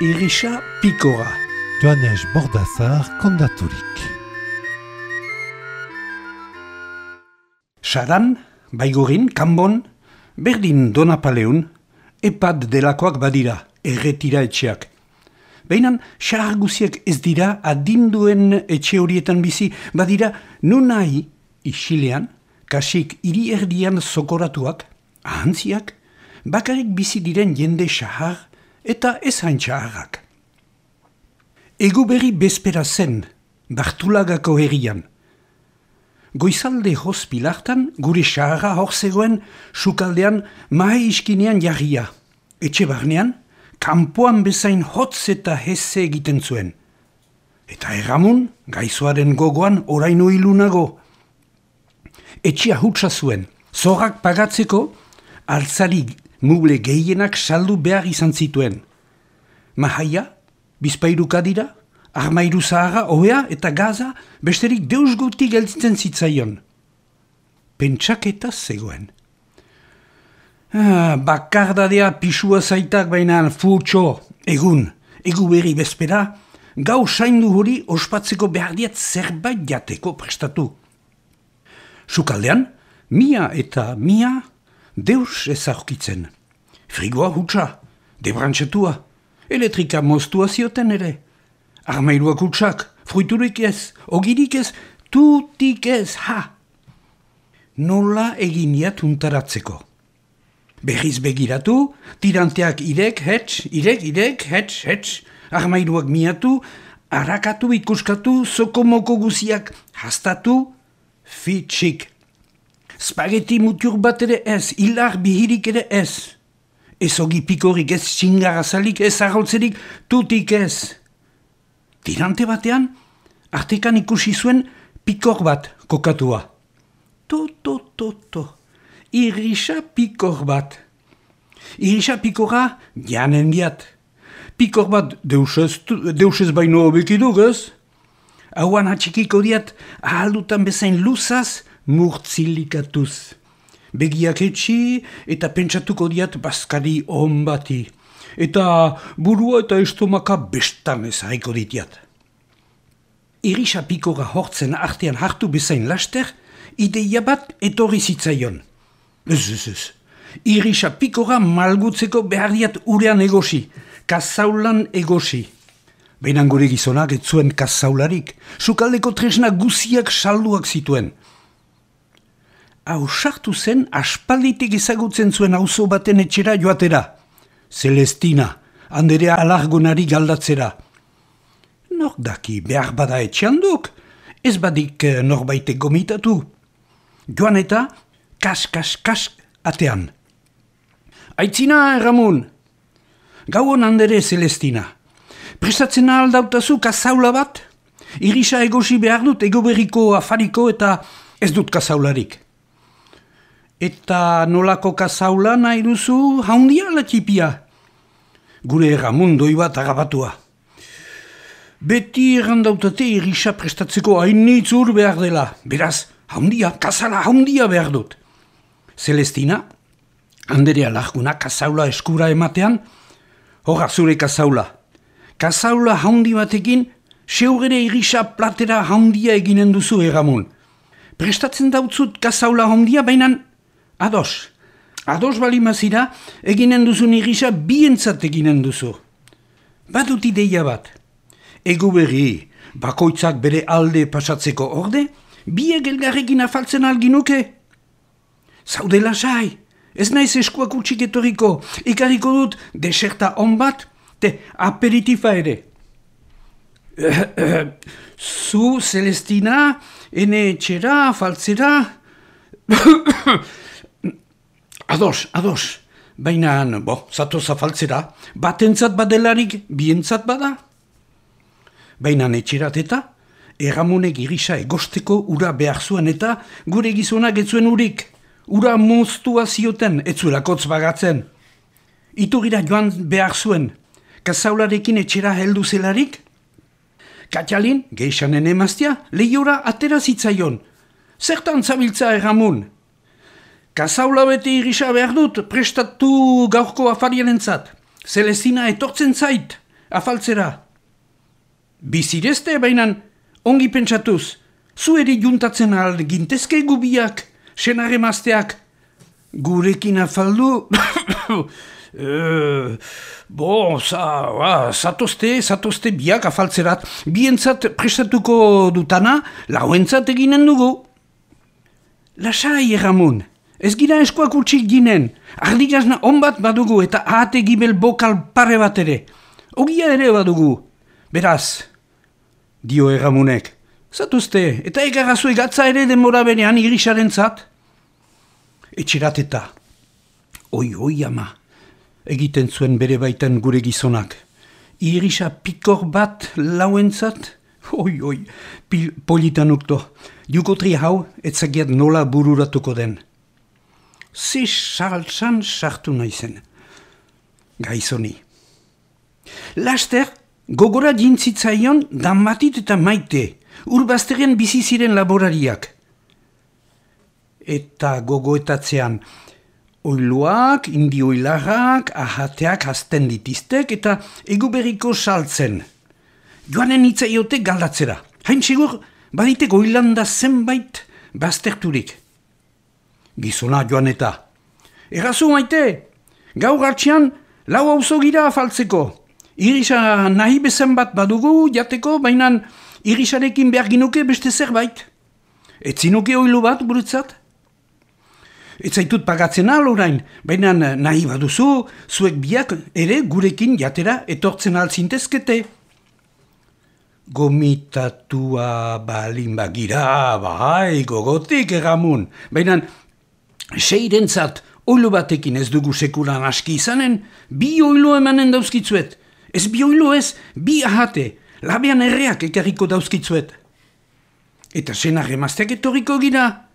Irisa Pikora. Joanes Bordazar kondaturik. Saran, Baigorin, Kanbon, berdin Donapaleun, epad delakoak badira, erretira etxeak. Bainan, xahar guziek ez dira adinduen etxe horietan bizi, badira nunai, isilean, kasik hiri erdian zokoratuak, ahantziak, bakarik bizi diren jende xahar eta ez hain xaharrak. Egu berri bezpera zen, Bartulagako herrian. Goizalde hospilartan, gure xaharra hor zegoen, sukaldean mahe iskinean jarria. Etxe barnean, kanpoan bezain hotz eta heze egiten zuen. Eta erramun, gaizoaren gogoan oraino ilunago. Etxea hutsa zuen, zorrak pagatzeko, altzari muble gehienak saldu behar izan zituen. Mahaia, bizpairu kadira, armairu zahara, ohea eta gaza, besterik deus guti gelditzen zitzaion. Pentsaketa zegoen. Bakardadea pisua zaitak bainan futxo, egu berri bezpera, gau saindu hori ospatzeko behar diat zerbait jateko prestatu. Sukaldean, mia eta mia deus ez aurkitzen. Frigoa hutsa, debrantxetua, elektrika moztua zioten ere. Armairuak hutsak, fruiturik ez, ogirik ez, tutik ez, ha! Nola eginiat untaratzeko. Berriz begiratu, tiranteak irek, hetx, armairuak miatu, harakatu ikuskatu, zokomoko guziak hastatu, fitxik. Spaghetti mutur bat ere ez, hilar bihirik ere ez. Ez ogi pikorik ez, txingarazalik ez, arrautzerik, tutik ez. Tirante batean, artekan ikusi zuen pikor bat kokatua. Irisa pikor bat. Irisa pikora janen diat. Pikor bat deusez baino hobekiduk ez? Hauan atxikiko diat ahaldutan bezain luzaz murtzilikatuz. Begiak etxi eta pentsatuko diat bazkari on bati. Eta burua eta estomaka bestan ez haiko ditiat. Irisa pikora hortzen artean hartu bezain laster, ideia bat etorri zitzaion. Ez. Irisa pikora malgutzeko behar diat urean egosi, kazaulan egosi. Bainan gure gizonak ez zuen kazaularik, sukaldeko tresna guziak salduak zituen. Hau sartu zen aspalditik ezagutzen zuen auzo baten etxera joatera. Celestina, handerea alargunari galdatzera. Nor daki behar bada etxean duk, ez badik norbaitek gomitatu. Joan eta kas atean. Aitzina, Ramon! Gauon handere, Celestina. Prestatzen aldautazu kazaula bat? Irisa egosi behar dut egoberriko afariko eta ez dut kazaularik. Eta nolako kazaula nahi duzu haundia ala txipia? Gure Ramon doi bat agabatua. Beti errandautate irisa prestatzeko hainitz ur behar dela. Beraz, haundia, kazala haundia behar dut. Celestina, handerea laguna kazaula eskura ematean, horra zure kazaula. Kazaula haundi batekin, seugere irisa platera haundia eginen duzu, Ramon. Prestatzen dautzut kazaula haundia, bainan ados balimazira, eginen duzun irisa bientzat eginen duzu. Badut ideia bat. Egu berri, bakoitzak bere alde pasatzeko orde, biek elgarrekin afaltzen alginuke. Zaude lasai, ez naiz eskuak utxik etoriko, ikariko dut deserta on bat, te aperitifa ere. Zu, Celestina, ene etxera, afaltzera... Ados, baina, zatoz afaltzera, batentzat badelarik, bientzat bada. Baina etxerat eta, Ramonek irisa egosteko ura behar zuen eta gure gizonak ez zuen urik. Ura moztua zioten, ez zuelakotz bagatzen. Iturira joan behar zuen, kazaularekin etxera heldu zelarik. Katxalin, geixanen emaztia, lehiora atera zitzaion. Zertan zabiltza, Ramon? Kazaula bete irisa behar dut, prestatu gaurko afariarentzat. Celestina etortzen zait. afaltzera. Bizirezte bainan, ongi pentsatuz, zu eri juntatzen alde gintezke gubiak, senare mazteak, gurekin afaldu... Zatozte biak afaltzerat, bientzat prestatuko dutana, lauentzat eginen dugu. Lasai, Ramon, ez gira eskuak utxik ginen, ardigazna onbat badugu eta ahate gibel bokal pare bat ere. Ogia ere badugu. Beraz, dio Ramonek, zatozte, eta egarrazue gatza ere denbora berean irisaren zat. Etxerateta, oi ama. Egiten zuen bere baitan gure gizonak. Irisa pikor bat lauentzat? Oi, politanukto. Jukotri hau, etzagiat nola bururatuko den. Ze saltsan sartu naizen. Gaizoni. Laster, gogora jintzitzaion Damatit eta Maite, urbazteren bizi ziren laborariak. Eta gogoetatzean, oiluak, indioilarrak, ahateak hasten ditiztek eta eguberriko saltzen. Joanen itzaiote galdatzera. Hain segur, baditek oilanda zenbait bazterturik. Gizona joan eta. Errazu Maite, gaur hartxean lau auzo gira afaltzeko. Irisa nahi bezen bat badugu jateko, baina irisarekin behar ginuke beste zerbait. Etzinuke oilu bat guretzat? Ez zaitut pagatzen orain, baina nahi baduzu, zuek biak ere gurekin jatera etortzen altzintezkete. Gomitatua balin bagira, bai, gogotik Ramon, baina seirentzat oilu batekin ez dugu sekulan aski izanen, bi oilu emanen dauzkitzuet. Ez bi oilu ez, bi ahate, labean erreak ekarriko dauzkitzuet. Eta senar emazteak etorriko gira.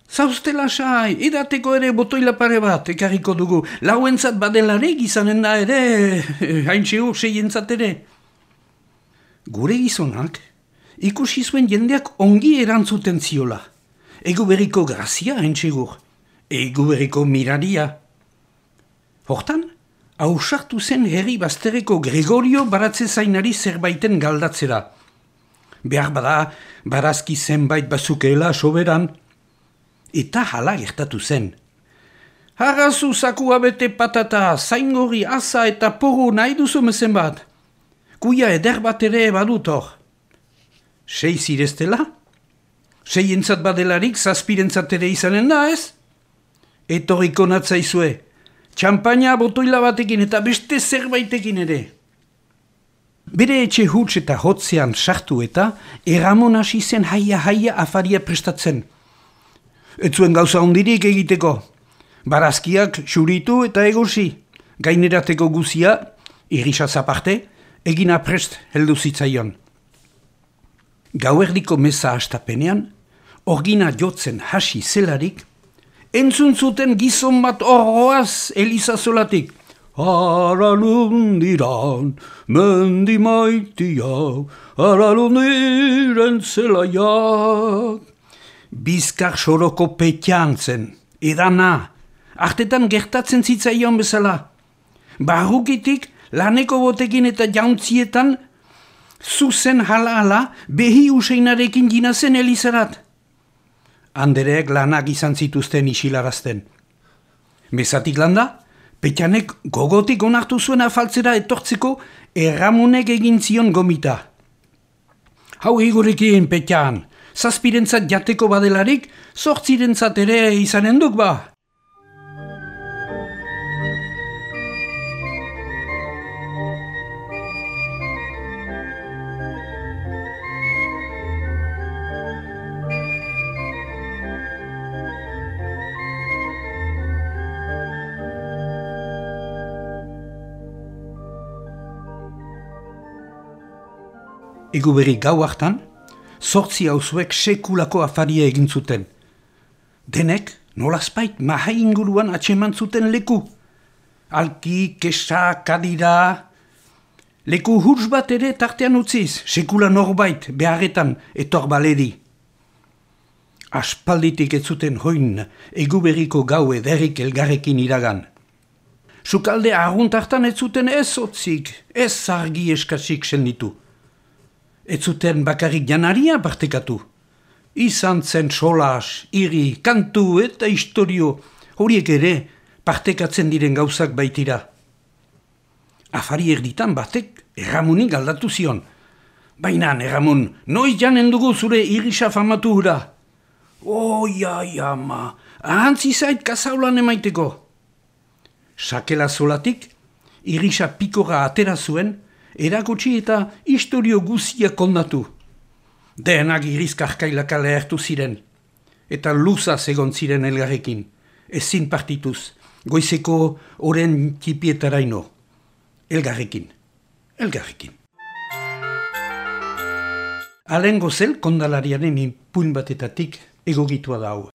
Zauzte lasai, edateko ere botoila pare bat, ekarriko dugu. Lauentzat badelarik izanen da ere, haintxeo seientzat ere. Gure gizonak, ikusi zuen jendeak ongi erantzuten ziola. Egu berriko grazia haintxegur, egu berriko miraria. Hortan, hausartu zen herri bazterreko Gregorio baratze zainari zerbaiten galdatzera. Behar bada, barazki zenbait bazukeela soberan. Eta hala gertatu zen. Harazu zakua bete patata, zaingorri, asa eta poru nahi duzu mezen bat. Kuia eder bat ere badut hor. 6 zireztela? 6 entzat badelarik zazpirentzat ere izanen da ez? Etorriko natzaizue. Txampaina botoila batekin eta beste zerbaitekin ere. Bere etxe huts eta hotzean sartu eta Ramon hasi zen haia afaria prestatzen. Ez zuen gauza hondirik egiteko. Barazkiak xuritu eta egosi. Gainerateko guzia, irisaz aparte, egina prest heldu zitzaion. Gauerdiko meza hastapenean, orgina jotzen hasi zelarik, entzun zuten gizon bat horroaz elizazolatik. Haralundiran, mendi maitia, haralundiren zelaiak. Bizkar soroko petian zen, edana, artetan gertatzen zitzaion bezala. Barrukitik, laneko botekin eta jauntzietan, zuzen hala behi useinarekin ginazen elizarat. Andereek lanak izan zituzten isilarazten. Mezatik landa, petianek gogotik onartu zuen afaltzera etortzeko Ramonek egin zion gomita. Hau egurekin, petian! Zazpirentzat jateko badelarik, 8 ere izanen duk ba. Egu berri gau hartan, 8 auzuek sekulako afaria egin zuten. Denek, nolazpait, mahai inguruan atseman zuten leku. Alki, kesa, kadira... Leku huts bat ere tartean utziz, sekula norbait, beharretan, etor baleri. Aspalditik ez zuten hoin, egu berriko gau ederrik elgarrekin iragan. Sukalde arruntartan ez zuten ez otzik, ez argi eskasik senditu. Ez zuten bakarrik janaria partekatu. Izan zen solas, iri, kantu eta historio, horiek ere partekatzen diren gauzak baitira. Afari erditan batek erramunik aldatu zion. Baina, erramun, noiz janen dugu zure irisa famatu hura? Ama, ahantzi zait kazaulan emaiteko. Sakela zolatik, irisa pikora atera zuen, erakutsi eta historio guzia kondatu. Denak irizkarkailaka lehertu ziren, eta luza egon ziren elgarrekin, ezin partituz, goizeko oren txipietaraino. Elgarrekin. Alen gozel kondalariaren ipuin batetatik egogitua da hau.